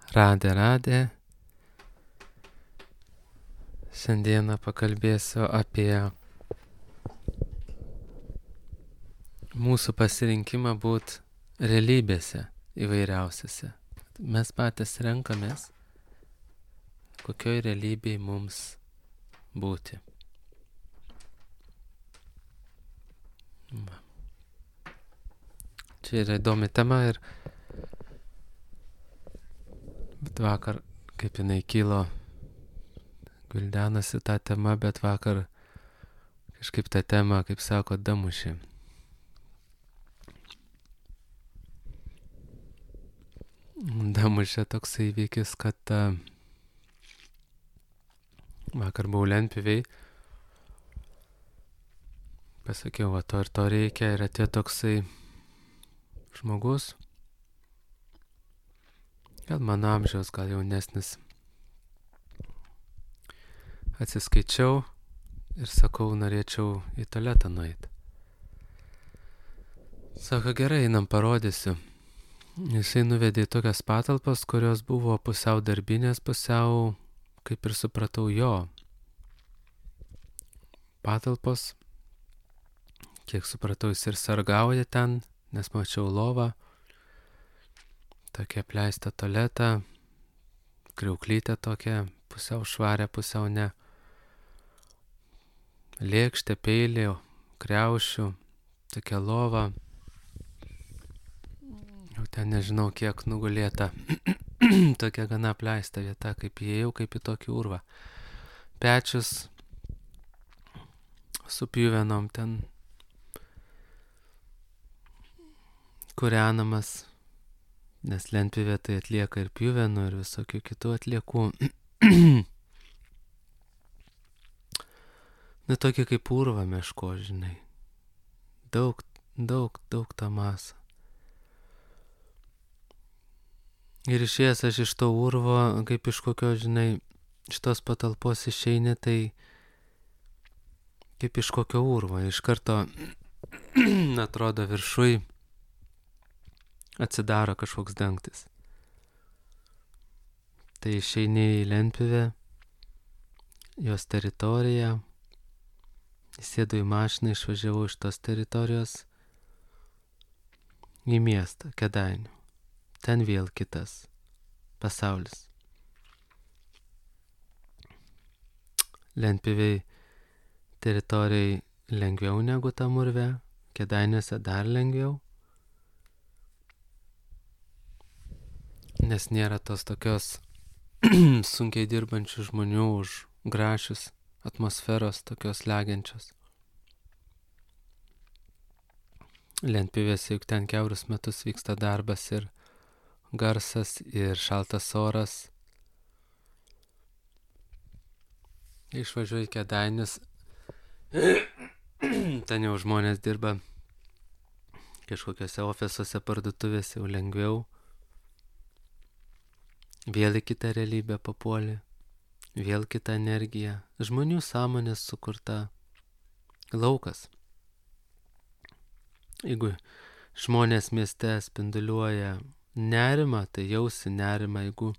Radė. Šiandieną pakalbėsiu apie mūsų pasirinkimą būti realybėse įvairiausiose. Mes patys renkamės, kokioj realybėj mums būti. Čia yra įdomi tema bet vakar, kaip jinai kilo, gvildenasi tą temą, bet vakar kažkaip tą temą, kaip sako, damušė. Damušė toks įvykis, kad vakar buvau lentpjūvėj, pasakiau, va to ir to reikia, ir atėjo toksai žmogus, gal mano amžiaus, gal jaunesnis. Atsiskaičiau ir sakau, norėčiau į tualetą nueiti. Sako, gerai, einam, parodysiu. Jisai nuvedė į tokias patalpas, kurios buvo pusiau darbinės, pusiau, kaip ir supratau, jo patalpos. Kiek supratau, jis ir sargauja ten, nes mačiau lovą, tokia apleista tualetą, kriauklytė tokia, pusiau švarė, pusiau ne. Lėkštė, peilė, kriaušių, tokia lova. Jau ten nežinau, kiek nugulėta. Tokia gana apleista vieta, kaip įėjau, kaip į tokį urvą. Pečius su pjuvenom ten kūrenamas, nes lentpjūvė tai atlieka ir pjuvenų, ir visokių kitų atliekų. Nu, tokia kaip urva meško, žinai. Daug tą masą. Ir išėjęs aš iš to urvo, kaip iš kokio, žinai, iš tos patalpos išeini, tai kaip iš kokio urvo. Iš karto, atrodo, viršui atsidaro kažkoks dangtis. Tai išeini į lentpjūvę, jos teritoriją, įsėdu į mašiną, išvažiavau iš tos teritorijos į miestą, Kėdainių. Ten vėl kitas pasaulis. Lentpjūvėj teritorijai lengviau negu tam urve, Kėdainiuose dar lengviau, nes nėra tos tokios sunkiai dirbančių žmonių už grašius, atmosferos tokios legiančios. Lentpjūvėse juk ten kiaurus metus vyksta darbas ir garsas, ir šaltas oras. Išvažiuoju į Kėdainius, ten jau žmonės dirba kažkokiose ofisuose, parduotuvėse, jau lengviau. Vėl į kitą realybę papuolė, vėl kita energija, žmonių sąmonės sukurta laukas. Jeigu žmonės mieste spinduliuoja nerimą, tai jausi nerimą, jeigu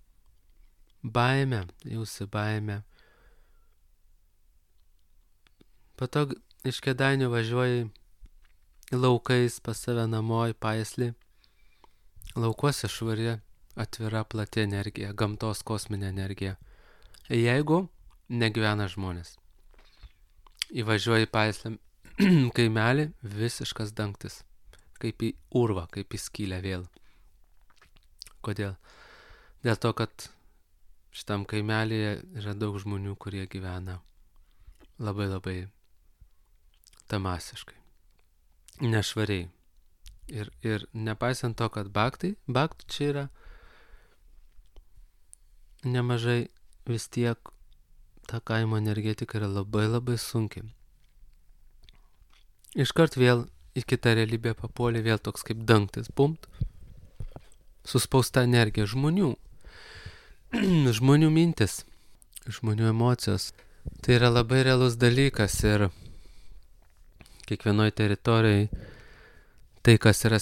baimę, jausi baimę. Po to iš Kėdainių važiuoji laukais pas save namo į Paislį. Laukuose švari, atvira, plati energija, gamtos kosminė energija. Jeigu negyvena žmonės. Įvažiuoji į Paislį kaimelį, visiškas dangtis. Kaip į urvą, kaip į skylę vėl. Kodėl? Dėl to, kad šitam kaimelėje yra daug žmonių, kurie gyvena labai tamasiškai, nešvariai. Ir nepaisant to, kad baktų čia yra nemažai, vis tiek ta kaimo energetika yra labai sunki. Iškart vėl į kitą realybę papuolė, vėl toks kaip dangtis, pumt, suspausta energija žmonių, žmonių mintis, žmonių emocijos. Tai yra labai realus dalykas ir kiekvienoje teritorijoje tai, kas yra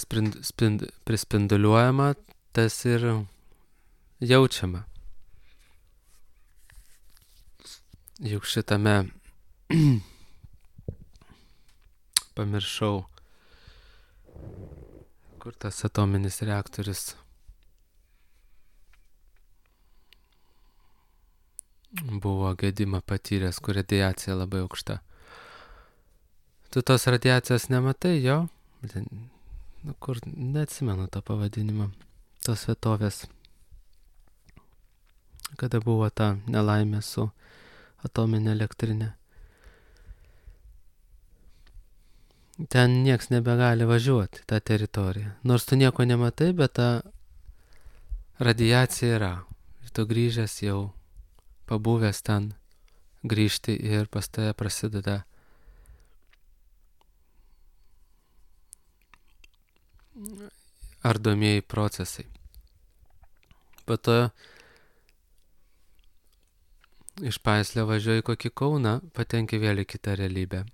prispinduliuojama, tas ir jaučiama. Juk šitame pamiršau, kur tas atominis reaktorius buvo gedimą patyręs, kur radiacija labai aukšta. Tu tos radiacijos nematai, jo? Kur neatsimenu to pavadinimo, tos vietovės, kada buvo ta nelaimė su atominė elektrinė. Ten nieks nebegali važiuoti tą teritoriją. Nors tu nieko nematai, bet ta radiacija yra. Ir tu grįžęs jau, pabuvęs ten, grįžti ir pas tave prasideda ardomieji procesai. Po to iš Paislio važiuoji kokį Kauną, patenki vėl į kitą realybę.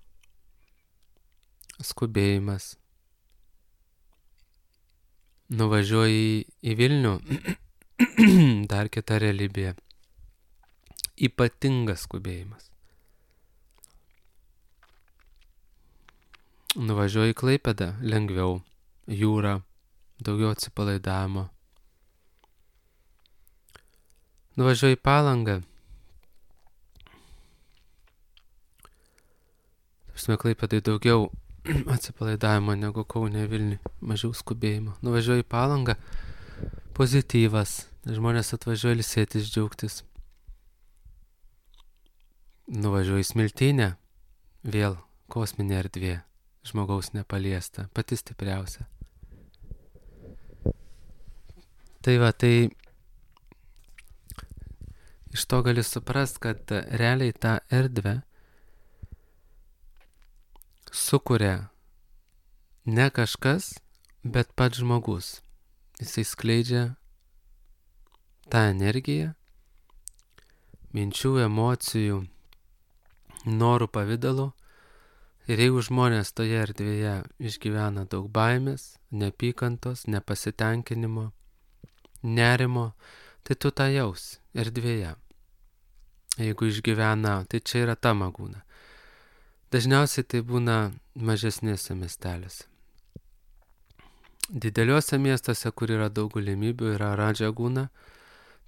Skubėjimas. Nuvažiuoji į Vilnių, dar kita realybė. Ypatingas skubėjimas. Nuvažiuoji į Klaipėdą, lengviau, jūra, daugiau atsipalaidavimo. Nuvažiuoji į Palangą. Klaipėdai daugiau atsipalaidavimo negu Kaune, Vilniui, mažiau skubėjimo. Nuvažiuoji į Palangą, pozityvas, žmonės atvažiuoja ilsėtis, džiaugtis. Nuvažiuoji į Smiltynę, vėl kosminė erdvė, žmogaus nepaliesta, pati stipriausia. Tai va, tai iš to gali suprast, kad realiai tą erdvę sukuria ne kažkas, bet pats žmogus. Jisai skleidžia tą energiją, minčių, emocijų, norų pavidalu. Ir jeigu žmonės toje erdvėje išgyvena daug baimės, neapykantos, nepasitenkinimo, nerimo, tai tu tą jausi erdvėje. Jeigu išgyvena, tai čia yra ta magūna. Dažniausiai tai būna mažesnėse miestelėse. Dideliuose miestuose, kur yra daug galimybių, yra radžagūna,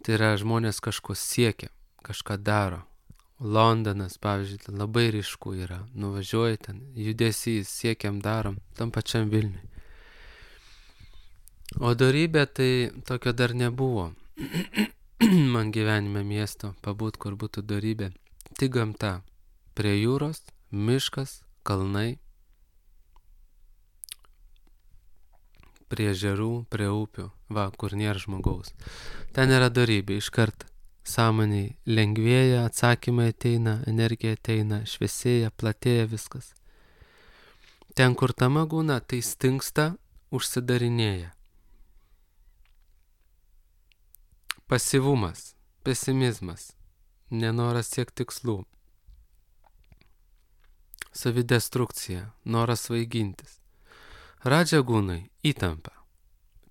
tai yra žmonės kažko siekia, kažką daro. Londonas, pavyzdžiui, ten labai ryšku yra, nuvažiuoji ten, judesys, siekiam, darom, tam pačiam Vilniui. O dorybė tai tokio dar nebuvo. Man gyvenime miesto pabūt, kur būtų dorybė. Tik gamta, prie jūros, miškas, kalnai, prie ežerų, prie upių, va, kur nėra žmogaus. Ten yra dorybė, iškart sąmoniai lengvėja, atsakymai ateina, energija ateina, šviesėja, platėja viskas. Ten, kur ta magūna, tai stingsta, užsidarinėja. Pasyvumas, pesimizmas, nenoras siekti tikslų. Savidestrukcija, noras svaigintis. Radžagūnai įtampa.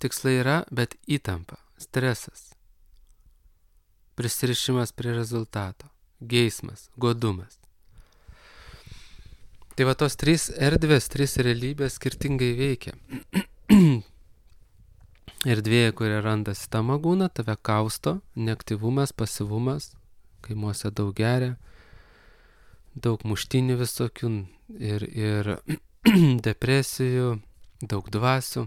Tikslai yra, bet įtampa, stresas. Prisirišimas prie rezultato, geismas, godumas. Tai va tos trys erdvės, trys realybės skirtingai veikia. Erdvėje, kuria randasi ta magūna, tave kausto, neaktyvumas, pasyvumas, kaimuose daug geria, daug muštinių visokių ir depresijų, daug dvasių.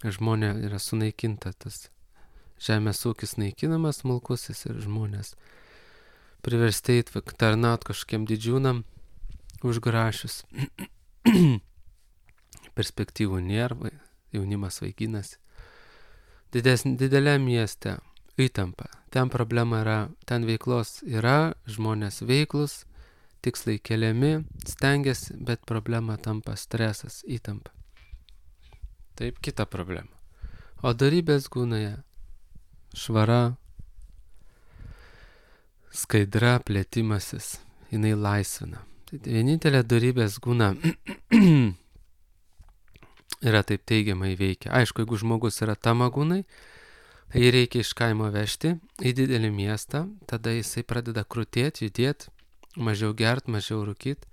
Žmonė yra sunaikinta, tas žemės ūkis naikinamas smulkusis ir žmonės priversti tarnaut kažkokiem didžiūnam užgrašius. Perspektyvų nėra, jaunimas vaikinasi. Dideliam mieste įtampa. Ten problema yra, ten veiklos yra, žmonės veiklus, tikslai keliami, stengiasi, bet problema tampa stresas, įtampa. Taip, kita problema. O dorybės gūnoje švara, skaidra, plėtimasis, jinai laisvina. Tai vienintelė dorybės gūna yra taip teigiamai veikia. Aišku, jeigu žmogus yra tamagūnai, Jį reikia iš kaimo vežti į didelį miestą, tada jisai pradeda krutėti, judėti, mažiau gert, mažiau rūkyt,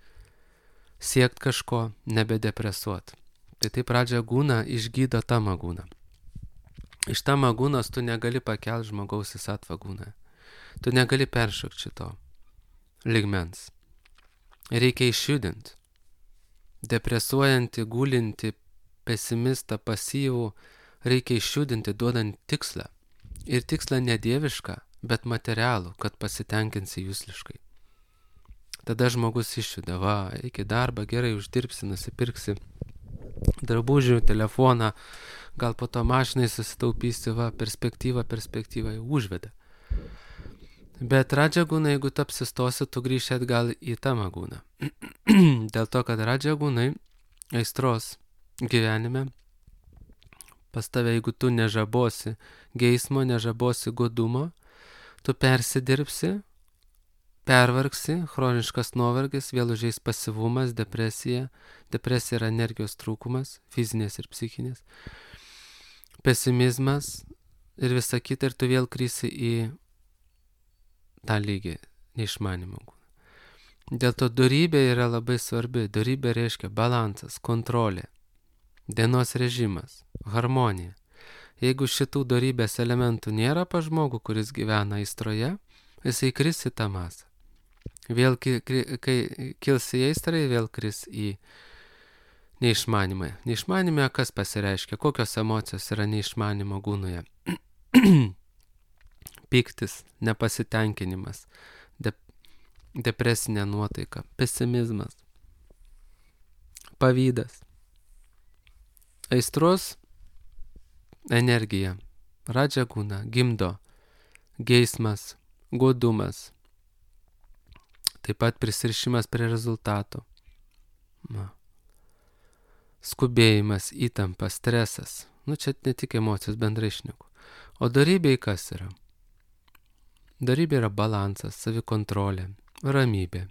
siekt kažko, nebedepresuot. Tai taip radžagūna išgydo tamagūną. Iš tamagūnos tu negali pakelti žmogaus į satvagūną. Tu negali peršokti šito ligmens. Reikia išjudinti. Depresuojantį, gulinti, pesimistą, pasyvų, reikia išjudinti, duodant tikslą. Ir tikslą ne dievišką, bet materialų, kad pasitenkinsi jūsliškai. Tada žmogus išjuda, va, iki darbą, gerai uždirbsi, nusipirksi drabužių, telefoną, gal po to mašinai susitaupysi, va, perspektyva, užveda. Bet radžagūna, jeigu tu apsistosi, tu grįši atgal į tamagūną. Dėl to, kad radžagūnai aistros gyvenime pas tave, jeigu tu nežabosi geismo, nežabosi godumo, tu persidirbsi, pervargsi, chroniškas nuovargis, vėl užeis pasyvumas, depresija. Depresija yra energijos trūkumas, fizinės ir psichinės. Pesimizmas ir visa kita, ir tu vėl krysi į tą lygį neišmanimo. Dėl to dorybė yra labai svarbi. Dorybė reiškia balansas, kontrolė, dienos režimas, harmonija. Jeigu šitų dorybės elementų nėra pa žmogų, kuris gyvena aistroje, jisai kris į tą masę. Vėl, kai kils į aistrą, vėl kris į neišmanimą. Neišmanime kas pasireiškia, kokios emocijos yra neišmanimo gūnoje. Pyktis, nepasitenkinimas, depresinė nuotaika, pesimizmas, pavydas. Aistros energija, radžagūna, gimdo geismas, godumas, taip pat prisirišimas prie rezultato, skubėjimas, įtampa, stresas. Čia ne tik emocijos, bendrai šneku. O dorybė kas yra? Dorybė yra balansas, savikontrolė, ramybė,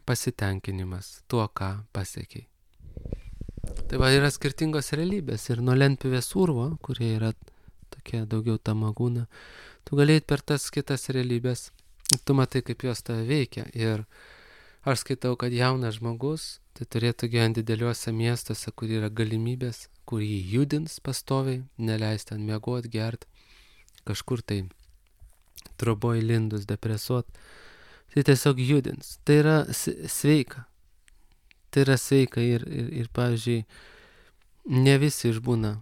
pasitenkinimas tuo, ką pasiekiai. Tai va, yra skirtingos realybės ir nuo lentpjūvės urvo, kurie yra tokie daugiau tamagūna, tu galėjai per tas kitas realybės, tu matai, kaip jos tave veikia. Ir aš skaitau, kad jaunas žmogus tai turėtų gyventi dideliuose miestuose, kur yra galimybės, kur jį judins pastoviai, neleis ten miegot, gert, kažkur tai troboj lindus, depresuot. Tai tiesiog judins. Tai yra sveika. Tai yra sveika ir pavyzdžiui, ne visi išbūna,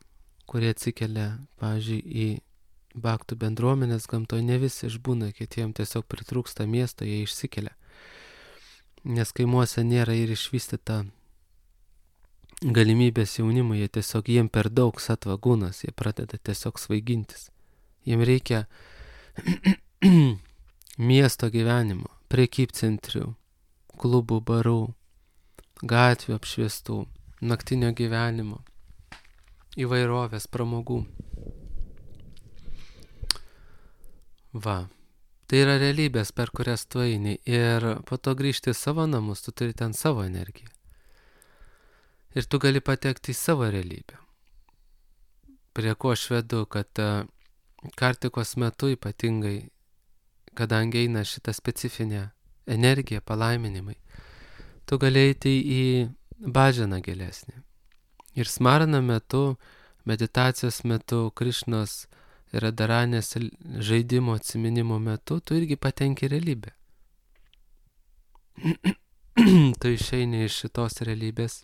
kurie atsikelia, pavyzdžiui, į baktų bendruomenės gamtoje, ne visi išbūna, kitiem tiesiog pritrūksta miesto, jie išsikelia. Nes kaimuose nėra ir išvystyta galimybės jaunimui, jiem per daug satvagūnas, jie pradeda tiesiog svaigintis. Jiem reikia miesto gyvenimo, prekybcentrių, klubų, barų, gatvių apšviestų, naktinio gyvenimo, įvairovės, pramogų. Va, tai yra realybės, per kurias tu eini, ir po to grįžti į savo namus, tu turi ten savo energiją. Ir tu gali patekti į savo realybę. Prie ko aš vedu, kad kartikos metu ypatingai, kadangi eina šitą specifinę energiją, palaiminimai, tu gali eiti į bhajaną gilesnį. Ir smarana metu, meditacijos metu, Krišnos ir Radharanės žaidimo atsiminimo metu, tu irgi patenki realybę. Tu išeini iš šitos realybės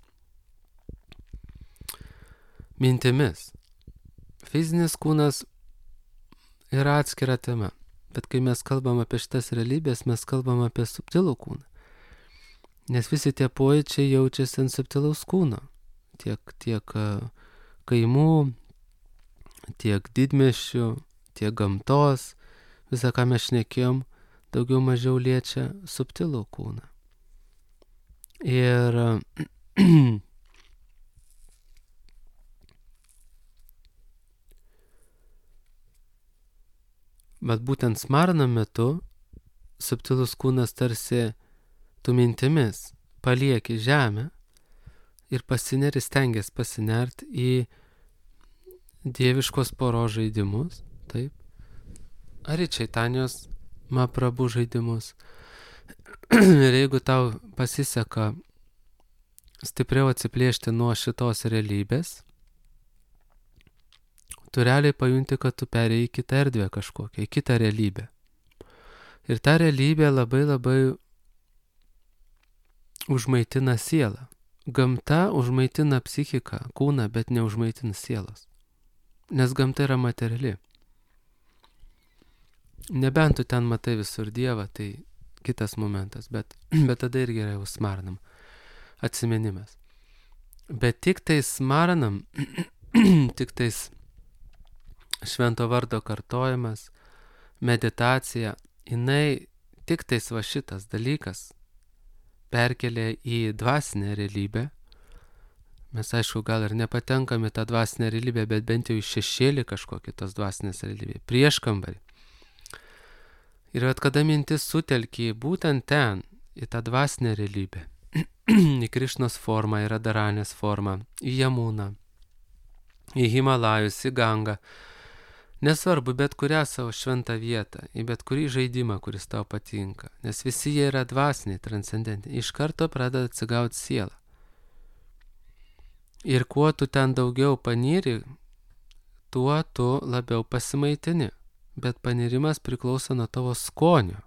mintimis. Fizinis kūnas yra atskira tema, bet kai mes kalbam apie šitas realybės, mes kalbam apie subtilų kūną. Nes visi tie pojūčiai jaučiasi ant subtilaus kūno. Tiek kaimų, tiek didmiesčių, tiek gamtos, visą, ką mes šnekėjom, daugiau mažiau liečia subtilų kūną. Ir bet būtent smarana metu subtilus kūnas tarsi tu mintimis palieki žemę ir stengiasi pasinert į dieviškos poros žaidimus, taip, ar į Čaitanijos Mahaprabhu žaidimus. Ir jeigu tau pasiseka stipriau atsiplėšti nuo šitos realybės, tu realiai pajunti, kad tu perėjai į kitą erdvę kažkokią, į kitą realybę. Ir ta realybė labai labai užmaitina sielą. Gamta užmaitina psichiką, kūną, bet neužmaitina sielos. Nes gamta yra materiali. Nebent tu ten matai visur Dievą, tai kitas momentas, bet tada irgi yra jau smaranam atsiminimas. Bet tik tai smaranam, tik tais švento vardo kartojimas, meditacija, jinai tik tais va šitas dalykas perkelia į dvasinę realybę. Mes aišku gal ir nepatenkame tą dvasinę realybę, bet bent jau į šešėlį kažkokį tos dvasinės realybė, prieškambarį. Ir kada mintis sutelkė būtent ten, į tą dvasinę realybę, į Krišnos formą, į Radaranės formą, į Jamuną, į Himalajus, į Gangą, nesvarbu, bet kurią savo šventą vietą, į bet kurį žaidimą, kuris tau patinka, nes visi jie yra dvasiniai, transcendentiniai, iš karto pradeda atsigauti sielą. Ir kuo tu ten daugiau panyri, tuo tu labiau pasimaitini, bet panirimas priklauso nuo tavo skonio.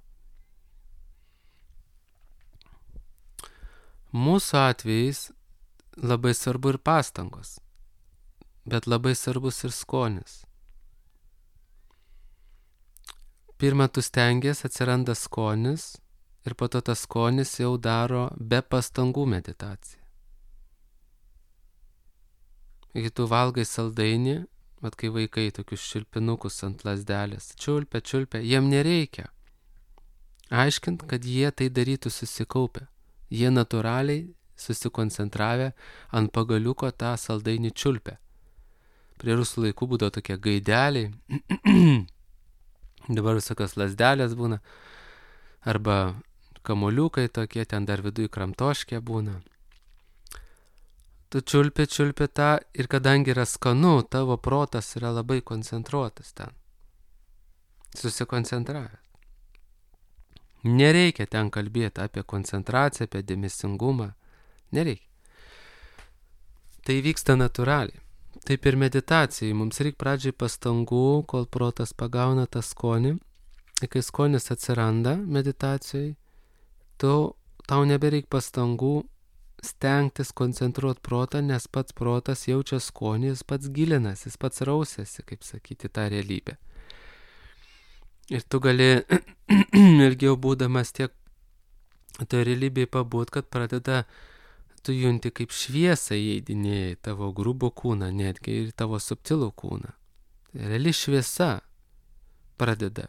Mūsų atvejais labai svarbu ir pastangos, bet labai svarbus ir skonis. Pirma, tu stengies, atsiranda skonis ir po to tas skonis jau daro be pastangų meditaciją. Kai tu valgai saldainį, vat kai vaikai tokius čiulpinukus ant lasdelės, čiulpia, jiem nereikia aiškint, kad jie tai darytų susikaupę. Jie natūraliai susikoncentravę ant pagaliuko tą saldainį čiulpia. Prie rusų laikų būdavo tokie gaideliai, dabar visokios lasdelės būna, arba kamoliukai tokie, ten dar viduj kramtoškė būna. Tu čiulpi tą ir kadangi yra skanu, tavo protas yra labai koncentruotas ten. Susikoncentravęs. Nereikia ten kalbėti apie koncentraciją, apie dėmesingumą. Nereikia. Tai vyksta natūraliai. Taip ir meditacijai. Mums reikia pradžiai pastangų, kol protas pagauna tą skonį. Ir kai skonis atsiranda meditacijai, tau nebereik pastangų stengtis koncentruoti protą, nes pats protas jaučia skonį, jis pats gilinasi, jis pats rausėsi, kaip sakyti, tą realybę. Ir tu gali ilgiau būdamas tiek to realybėje pabūt, kad pradeda, tu junti kaip šviesą įeidinėja į tavo grubų kūną, netgi ir tavo subtilų kūną. Reali šviesa pradeda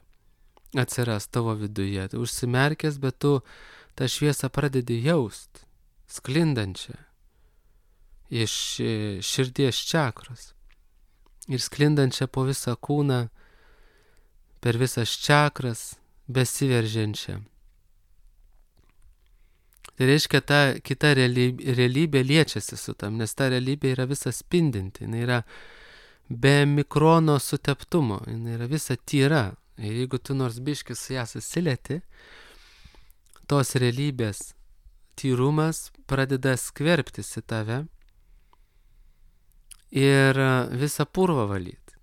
atsiras tavo viduje. Tu užsimerkęs, bet tu tą šviesą pradedi jaust, sklindančią iš širdies čakros ir sklindančią po visą kūną, per visas čakras besiveržiančią. Tai reiškia, ta kita realybė liečiasi su tam, nes ta realybė yra visa spindinti, jinai yra be mikrono suteptumo, jinai yra visa tyra. Ir jeigu tu nors biškį su ją susilieti, tos realybės tyrumas pradeda skverbtis į tave ir visą purvą valyti.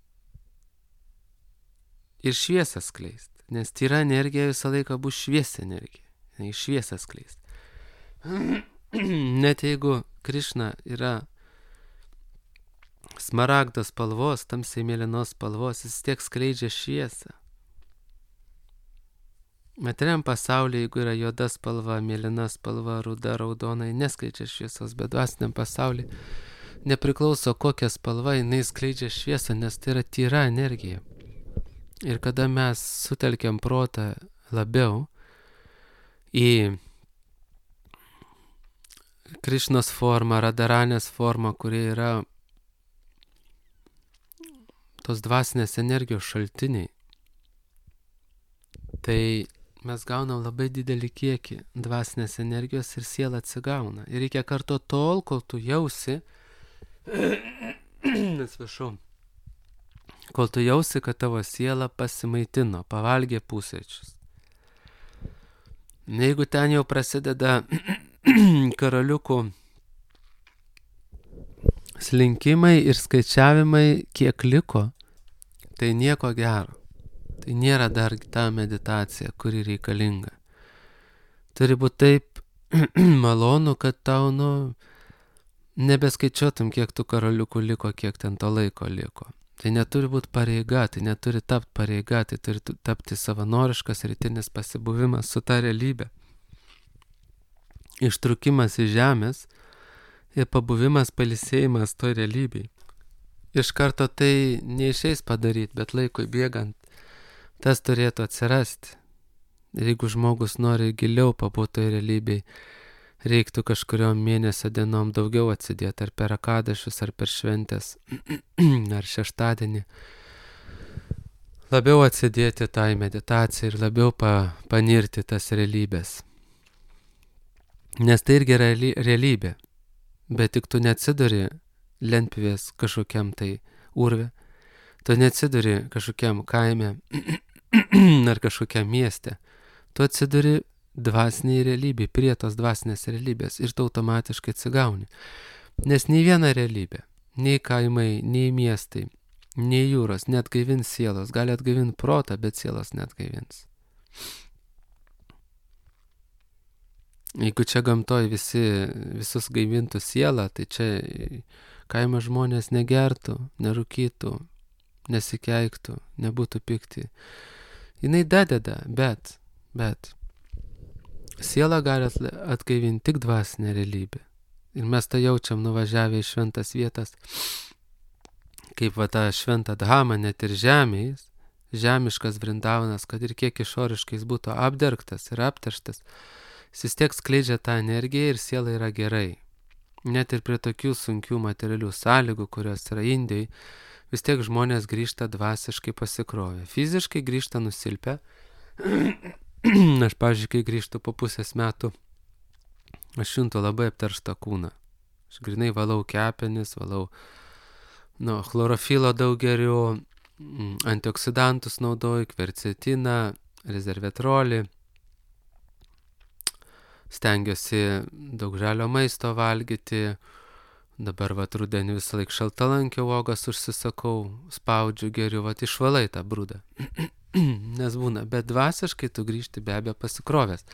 Ir šviesą skleist. Nes tyra energija visą laiką bus šviesi energija. Šviesą skleist. Net jeigu Krišna yra smaragdos spalvos, tamsiai mėlynos spalvos, jis tiek skleidžia šviesą. Materialiam pasaulyje, jeigu yra juoda spalva, mėlyna spalva, ruda, raudona, neskleidžia šviesos, bet dvasiniam pasaulyje nepriklauso kokia spalva, jinai skleidžia šviesą, nes tai yra tyra energija. Ir kada mes sutelkiam protą labiau į Krišnos formą, Radaranės formą, kuri yra tos dvasinės energijos šaltiniai, tai mes gaunam labai didelį kiekį dvasinės energijos ir siela atsigauna. Ir reikia kartu tol, kol tu jausi, atsiprašau, kol tu jausi, kad tavo siela pasimaitino, pavalgė pusryčius. Jeigu ten jau prasideda karaliukų slinkimai ir skaičiavimai, kiek liko, tai nieko gero. Tai nėra dar ta meditacija, kuri reikalinga. Turi būti taip malonu, kad tau, nebeskaičiuotum, kiek tų karaliukų liko, kiek ten to laiko liko. Tai neturi būti pareiga, tai neturi tapti pareiga, tai turi tapti savanoriškas rytinis pasibuvimas su ta realybė. Ištrukimas iš žemės ir pabuvimas, pailsėjimas toj realybėj. Iš karto tai neišeis padaryti, bet laikui bėgant tas turėtų atsirasti. Ir jeigu žmogus nori giliau pabūti toj realybėj, reiktų kažkuriom mėnesio dienom daugiau atsidėti, ar per akadašius, ar per šventės, ar šeštadienį. Labiau atsidėti tai meditacijai ir labiau panirti tas realybės. Nes tai irgi realybė, bet tik tu neatsiduri lentpjūvės kažkokiam tai urve, tu neatsiduri kažkokiam kaime ar kažkokiam mieste, tu atsiduri dvasiniai realybė, prie tos dvasinės realybės ir tu automatiškai atsigauni. Nes nei viena realybė, nei kaimai, nei miestai, nei jūros neatgaivins sielos, gali atgaivinti protą, bet sielos neatgaivins. Jeigu čia gamtoj visus gaivintų sielą, tai čia kaimo žmonės negertų, nerūkytų, nesikeiktų, nebūtų pikti. Jinai dadeda, bet siela gali atgaivinti tik dvasinę realybę. Ir mes tą jaučiam nuvažiavę į šventas vietas, kaip tą šventą dhamą, net ir žemės, žemiškas Vrindavanas, kad ir kiek išoriškai jis būtų apdergtas ir apterštas, jis vis tiek skleidžia tą energiją ir siela yra gerai. Net ir prie tokių sunkių materialių sąlygų, kurios yra Indijai, vis tiek žmonės grįžta dvasiškai pasikrovę. Fiziškai grįžta nusilpę. Aš, pavyzdžiui, kai grįžtu po pusės metų, aš juntu labai apterštą kūną. Aš grinai valau kepenis, valau chlorofilo daug geriu, antioksidantus naudoju, kvercetiną, rezervetrolį. Stengiuosi daug žalio maisto valgyti. Dabar rudenį visą laiką šaltalankio uogas užsisakau, spaudžiu, geriu, išvalai tą brūdą. Nes būna, bet dvasiškai tu grįžti be abejo pasikrovęs.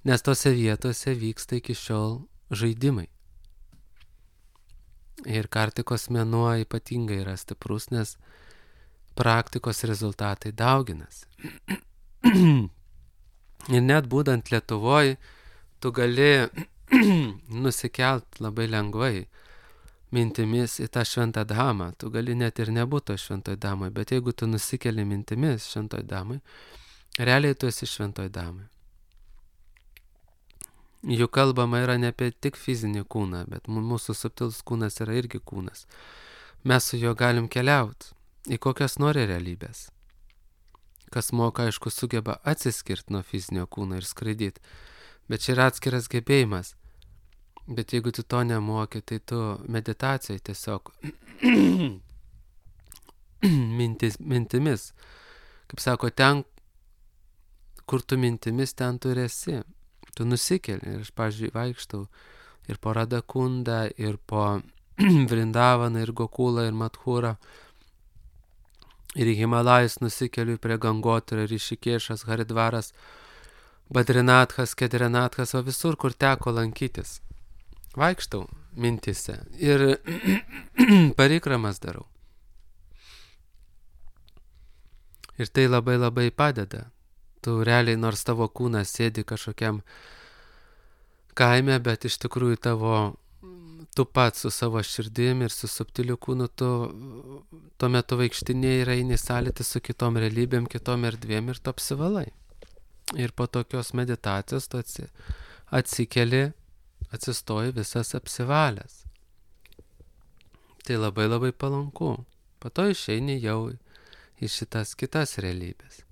Nes tose vietose vyksta iki šiol žaidimai. Ir kartikos mėnuo ypatingai yra stiprus, nes praktikos rezultatai dauginasi. Ir net būdant Lietuvoj, tu gali nusikelt labai lengvai mintimis į tą šventą dhamą. Tu gali net ir nebūti šventoj dhamai, bet jeigu tu nusikeli mintimis šventoj dhamai, realiai tu esi šventoj dhamai. Juk kalbama yra ne apie tik fizinį kūną, bet mūsų subtilus kūnas yra irgi kūnas. Mes su juo galim keliauti į kokias nori realybės. Kas moka, aišku, sugeba atsiskirti nuo fizinio kūno ir skraidyti. Bet čia yra atskiras gebėjimas. Bet jeigu tu to nemoki, tai tu meditacijai tiesiog mintimis. Kaip sako, ten, kur tu mintimis, ten tu esi. Tu nusikeli. Ir aš, pavyzdžiui, vaikštau ir po Radakundą, ir po Vrindavaną, ir Gokulą, ir Madhurą. Ir į Himalajus nusikeliu prie Gangotirio, Rišikešas, Haridvaras, Badrinathas, Kedrinathas, o visur, kur teko lankytis. Vaikštau mintise ir parikramas darau. Ir tai labai labai padeda. Tu realiai, nors tavo kūnas sėdi kažkokiam kaime, bet iš tikrųjų tu pats su savo širdim ir su subtiliu kūnu, tu tuo metu vaikštinėjai ir eini sąlytį su kitom realybėm, kitom erdvėm ir tu apsivalai. Ir po tokios meditacijos tu atsikeli, atsistoji visas apsivalęs. Tai labai labai palanku. Po to išeini jau į šitas kitas realybės.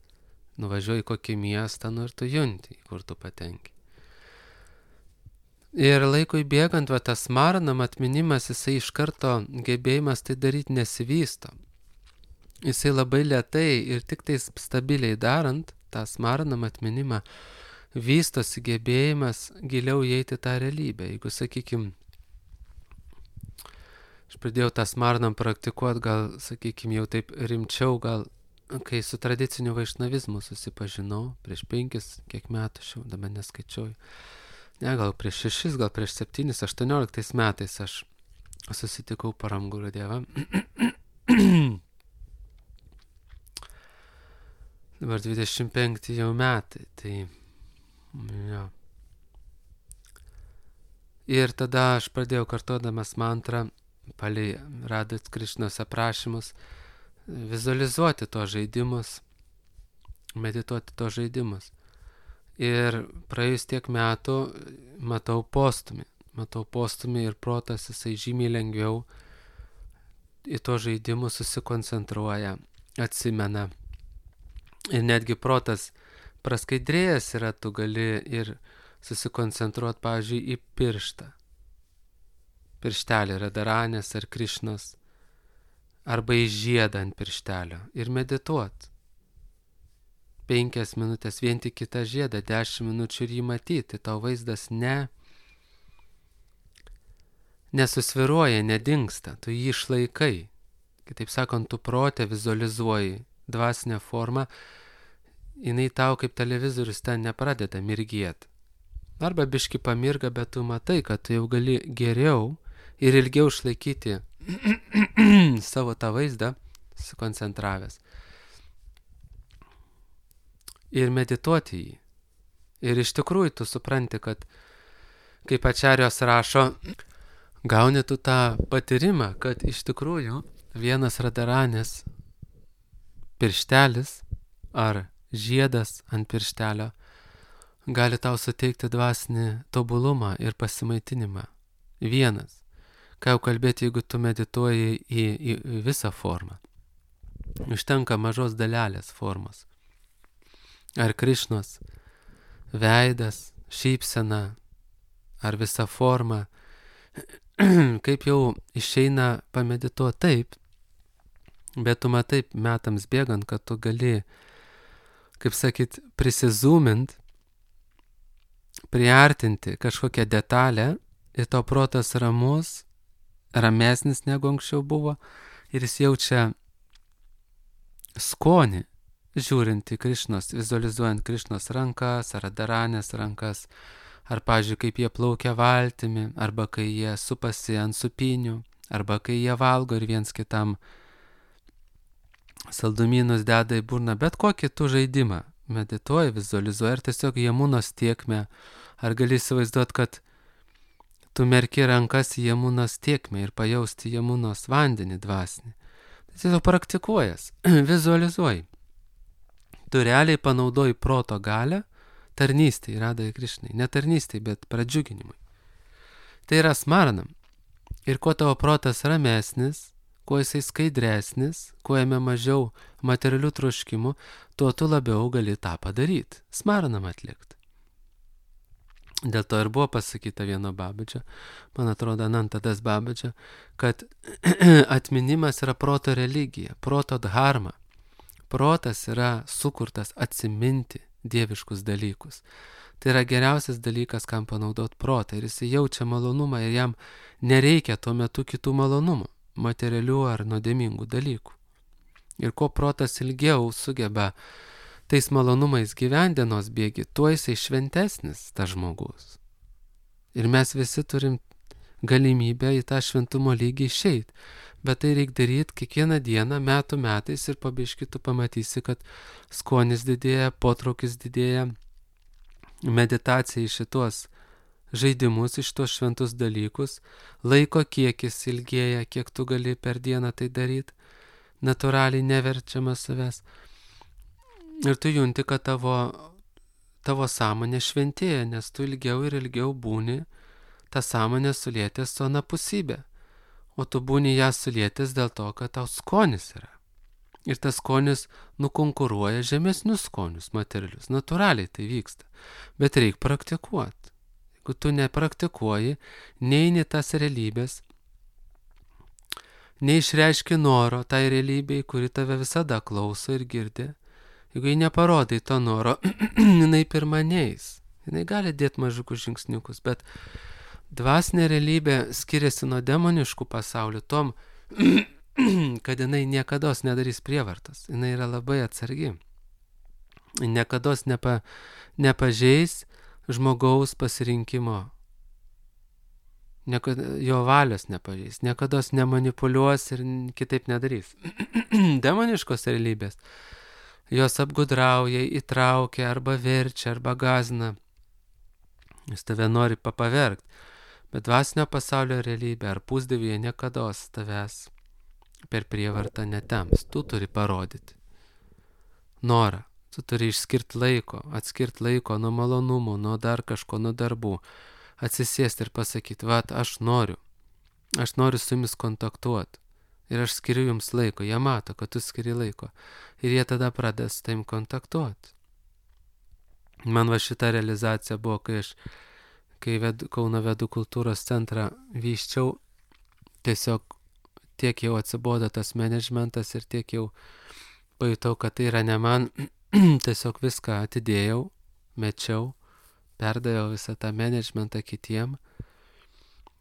Nuvažiuoji kokį miestą, ir tu junti, kur tu patenki. Ir laikui bėgant, tas maranam atminimas, jisai iš karto gebėjimas tai daryti nesivysto. jisai labai lėtai ir tik tais stabiliai darant tą smaranam atminimą, vystosi gebėjimas giliau įeiti tą realybę. Jeigu, sakykim, aš pradėjau tą smaranam praktikuoti, gal, sakykim, jau taip rimčiau, gal, kai su tradiciniu vaišnavizmu susipažinau, prieš 5, kiek metų, aš jau dabar neskaičiuoju. Ne, gal prieš 6, gal prieš 7, 18 metais aš susitikau Param Gurudevą. Dabar 25 jau metai, tai jo. Ir tada aš pradėjau kartodamas mantrą, palei Radhat Krišnos aprašymus, vizualizuoti tos žaidimus, medituoti tos žaidimus. Ir praėjus tiek metų matau postumį ir protas jisai žymiai lengviau į tos žaidimus susikoncentruoja, atsimena. Ir netgi protas praskaidrėjęs yra, tu gali ir susikoncentruoti, pavyzdžiui, į pirštą. Pirštelį Radharanės ar Krišnos, arba į žiedą ant pirštelio ir medituoti. 5 minutės vien tik kitą žiedą, 10 minučių ir jį matyti, tau vaizdas nesusviruoja, nedingsta, tu jį išlaikai. Kitaip sakant, tu protę vizualizuoji dvasinę formą, jinai tau kaip televizorius ten nepradeda mirgėti. Arba biški pamirga, bet tu matai, kad tu jau gali geriau ir ilgiau išlaikyti savo tą vaizdą, susikoncentravęs. Ir medituoti jį. Ir iš tikrųjų tu supranti, kad, kaip Ačarijos rašo, gauni tu tą patyrimą, kad iš tikrųjų vienas Radharanės pirštelis ar žiedas ant pirštelio gali tau suteikti dvasinį tobulumą ir pasimaitinimą. Vienas. Ką jau kalbėti, jeigu tu medituoji į visą formą. Užtenka mažos dalelės formos. Ar Krišnos veidas, šypsena, ar visa forma, kaip jau išeina pamedituoti taip, bet tu matai metams bėgant, kad tu gali, kaip sakyt, prisizūmint, priartinti kažkokią detalę ir to protas ramus, ramesnis negu anksčiau buvo ir jis jaučia skonį, žiūrint į Krišnos, vizualizuojant Krišnos rankas, ar Radharanės rankas, ar, pavyzdžiui, kaip jie plaukia valtimi, arba kai jie supasi ant supinių, arba kai jie valgo ir viens kitam saldumynus deda į burną, bet kokį tu žaidimą medituoji, vizualizuoji, ar tiesiog Jamunos tiekmę, ar gali įsivaizduoti, kad tu merki rankas į Jamunos tiekmę ir pajausti Jamunos vandenį dvasinį. Tai tiesiog praktikuojas, vizualizuoji. Tu realiai panaudoji proto galią tarnystėj, Radhai Krišnai, ne tarnystėj, bet pradžiuginimui. Tai yra smaranam. Ir kuo tavo protas ramesnis, kuo jisai skaidresnis, kuo jame mažiau materialių troškimų, tuo tu labiau gali tą padaryti, smaranam atlikti. Dėl to ir buvo pasakyta vieno Babadžio, man atrodo, Anantadas Babadžio, kad atminimas yra proto religija, proto dharma. Protas yra sukurtas atsiminti dieviškus dalykus. Tai yra geriausias dalykas, kam panaudoti protą. Ir jis jaučia malonumą ir jam nereikia tuo metu kitų malonumų, materialių ar nuodėmingų dalykų. Ir kuo protas ilgiau sugeba tais malonumais gyventi dienos bėgi, tuo jisai šventesnis tas žmogus. Ir mes visi turim galimybę į tą šventumo lygį išeiti. Bet tai reikia daryti kiekvieną dieną, metų metais ir po biškį tu pamatysi, kad skonis didėja, potraukis didėja, meditacija į šitos žaidimus, iš tos šventus dalykus, laiko kiekis ilgėja, kiek tu gali per dieną tai daryti, natūraliai neverčiama savęs. Ir tu junti, kad tavo sąmonė šventėja, nes tu ilgiau ir ilgiau būni tą sąmonę sulietęs su anapusybė. O tu būni ją sulietęs dėl to, kad tau skonis yra. Ir tas skonis nukonkuruoja žemesnius skonius materialius. Natūraliai tai vyksta. Bet reikia praktikuoti. Jeigu tu nepraktikuoji, neini tas realybės, neišreiški noro tai realybei, kuri tave visada klauso ir girdi, jeigu jai neparodai to noro, jinai pirma neis. Jinai gali dėti mažukus žingsniukus, bet dvasinė realybė skiriasi nuo demoniškų pasaulių tom, kad jinai niekados nedarys prievartas. Jinai yra labai atsargi. Niekados nepažeis žmogaus pasirinkimo. Jo valios nepažeis. Niekados nemanipuliuos ir kitaip nedarys. Demoniškos realybės. Jos apgudrauja, įtraukia, arba verčia, arba gazina. Jis tave nori pavergt. Bet dvasinio pasaulio realybė ar pusdievyje niekados tavęs per prievartą netems. Tu turi parodyti norą. Tu turi išskirti laiko, atskirti laiko nuo malonumų, nuo dar kažko, nuo darbų. Atsisėsti ir pasakyti, vat, aš noriu su jumis kontaktuoti. Ir aš skiriu jums laiko. Jie mato, kad tu skiri laiko. Ir jie tada pradeda su tavim kontaktuoti. Man va šita realizacija buvo, kai Kauno Vedų kultūros centrą vyščiau, tiesiog tiek jau atsibodo tas managementas ir tiek jau pajutau, kad tai yra ne man, tiesiog viską atidėjau, mečiau, perdaviau visą tą managementą kitiem,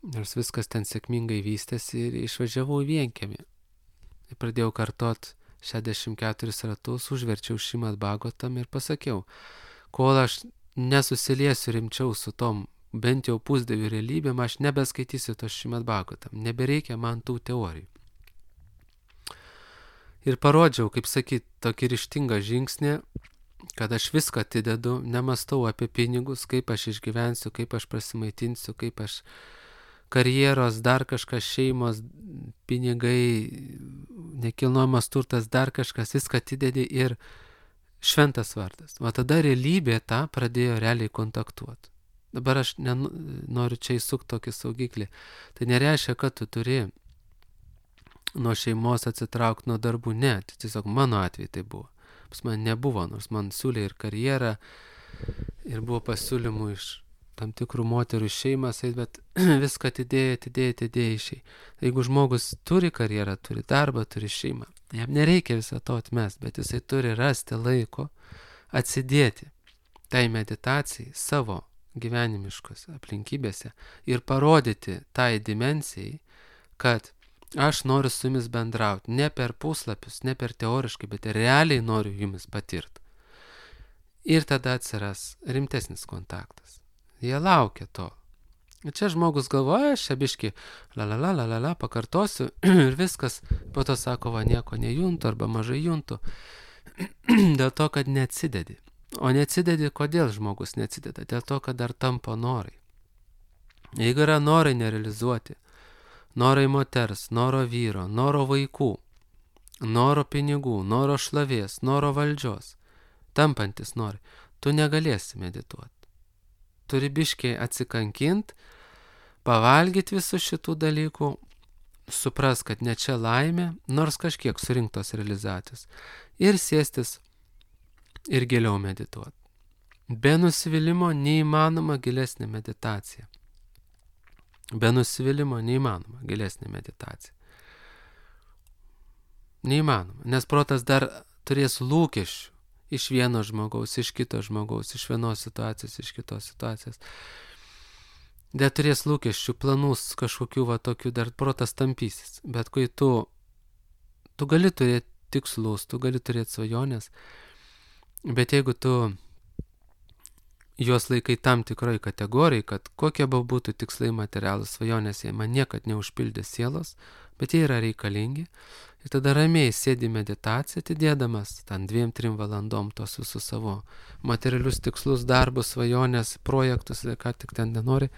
nors viskas ten sėkmingai vystėsi ir išvažiavau į Vienkiemį. Ir pradėjau kartot 64 ratus, užverčiau Šrimad Bhagavatam ir pasakiau, kol aš nesusiliesiu rimčiau su tom bent jau pusdievių realybėm, aš nebeskaitysiu to Šrimad Bhagavatam, nebereikia man tų teorijų. Ir parodžiau, kaip sakyt, tokį ryžtingą žingsnį, kad aš viską atidedu, nemastau apie pinigus, kaip aš išgyvensiu, kaip aš prasimaitinsiu, kaip aš karjeros, dar kažkas, šeimos, pinigai, nekilnojamas turtas, dar kažkas, viską atidedi ir šventas vardas. O tada realybė tą pradėjo realiai kontaktuoti. Dabar aš noriu čia įsukti tokį saugiklį. Tai nereiškia, kad tu turi nuo šeimos atsitraukti nuo darbų. Ne, tai tiesiog mano atveju tai buvo. Pas man nebuvo, nors man siūlė ir karjerą, ir buvo pasiūlymų iš tam tikrų moterų šeimas, bet viską atidėjai išėjai. Jeigu žmogus turi karjerą, turi darbą, turi šeimą, jam nereikia visą to atmest, bet jisai turi rasti laiko atsidėti tai meditacijai savo gyvenimiškose aplinkybėse ir parodyti tai dimensijai, kad aš noriu su jumis bendrauti, ne per puslapius, ne per teoriškai, bet realiai noriu jumis patirti. Ir tada atsiras rimtesnis kontaktas. Jie laukia to. Ir čia žmogus galvoja, aš čia biški, pakartosiu ir viskas, po to sako, va nieko nejuntu arba mažai juntu, dėl to, kad neatsidedi. O neatsidedi, kodėl žmogus neatsideda? Dėl to, kad dar tampa norai. Jeigu yra norai nerealizuoti, norai moters, noro vyro, noro vaikų, noro pinigų, noro šlovės, noro valdžios, tampantis norai, tu negalėsi medituoti. Turi biškiai atsikankint, pavalgyti visų šitų dalykų, supras, kad ne čia laimė, nors kažkiek surinktos realizacijos, ir sėstis ir giliau medituoti. Be nusivylimų neįmanoma gilesnė meditacija. Be nusivylimų neįmanoma gilesnė meditacija. Neįmanoma, nes protas dar turės lūkesčių iš vieno žmogaus, iš kito žmogaus, iš vienos situacijos, iš kitos situacijos. Dar turės lūkesčių, planus kažkokių va tokių, dar protas tampysis. Bet kai tu gali turėti tikslus, tu gali turėti svajonės, bet jeigu tu juos laikai tam tikroj kategorijai, kad kokie būtų tikslai materialūs svajonės, jie man niekad neužpildė sielos, bet jie yra reikalingi. Ir tada ramiai sėdi meditaciją, atidėdamas ten 2-3 valandom tos visus savo materialius tikslus, darbus, svajonės, projektus, ką tik ten nenori.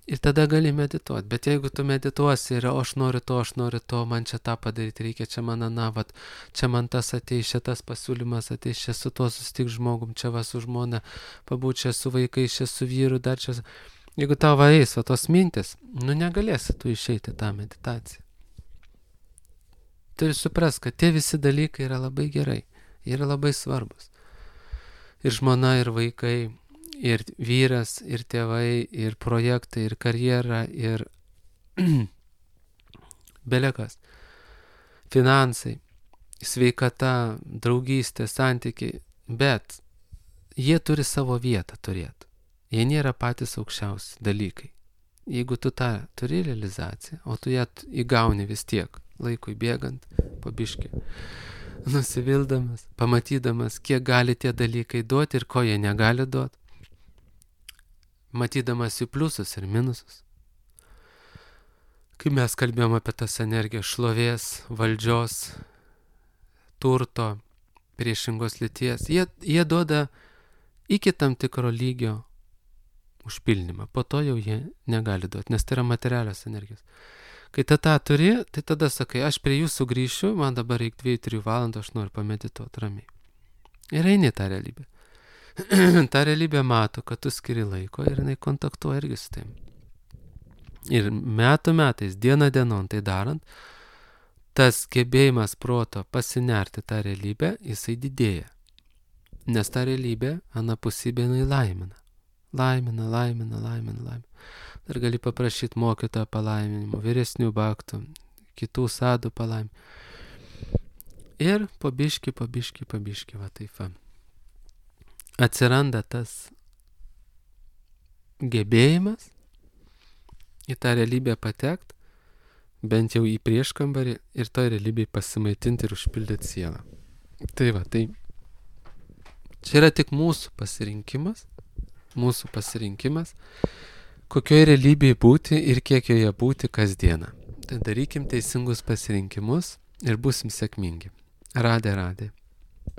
Ir tada gali medituoti. Bet jeigu tu medituosi ir aš noriu to, man čia tą padaryti, reikia čia man vat, čia man tas ateis, čia tas pasiūlymas ateis, čia su tuo sustik žmogum, čia va su žmona, pabūt čia su vaikais, čia su vyru, dar čia. Jeigu tavo eis, va tos mintis, negalėsi tu išeiti tą meditaciją. Turi suprast, kad tie visi dalykai yra labai gerai, jie yra labai svarbus. Ir žmona, ir vaikai, ir vyras, ir tėvai, ir projektai, ir karjera, ir belekas. finansai, sveikata, draugystė, santykiai, bet jie turi savo vietą turėti. Jie nėra patys aukščiausi dalykai. Jeigu tu tą turi realizaciją, o tu ją įgauni vis tiek, laikui bėgant, po biškį, nusivildamas, pamatydamas, kiek gali tie dalykai duoti ir ko jie negali duoti, matydamas jų pliusus ir minusus. Kai mes kalbėjom apie tas energijas šlovės, valdžios, turto, priešingos lyties, jie duoda iki tam tikro lygio užpildymą. Po to jau jie negali duoti, nes tai yra materialios energijos. Kai tą turi, tai tada sakai, aš prie jūsų grįšiu, man dabar reikia 2-3 valandų, aš noriu pamedituoti ramiai. Ir eini tą realybę. Ta realybė mato, kad tu skiri laiko ir jinai kontaktuoja irgi su tavim. Ir metų metais, diena dienon tai darant, tas gebėjimas proto pasinerti tą realybę, jisai didėja. Nes ta realybė, anapusybė, jinai laimina. Laimina. Dar gali paprašyti mokytojo palaiminimo, vyresnių baktų, kitų sadų palaiminimo. Ir po biškį, va taip va. Atsiranda tas gebėjimas į tą realybę patekt, bent jau į prieškambarį ir toj realybėj pasimaitinti ir užpildyti sielą. Tai va, tai čia yra tik mūsų pasirinkimas, kokioje realybėje būti ir kiek joje būti kasdieną. Tai darykim teisingus pasirinkimus ir būsim sėkmingi. Radė.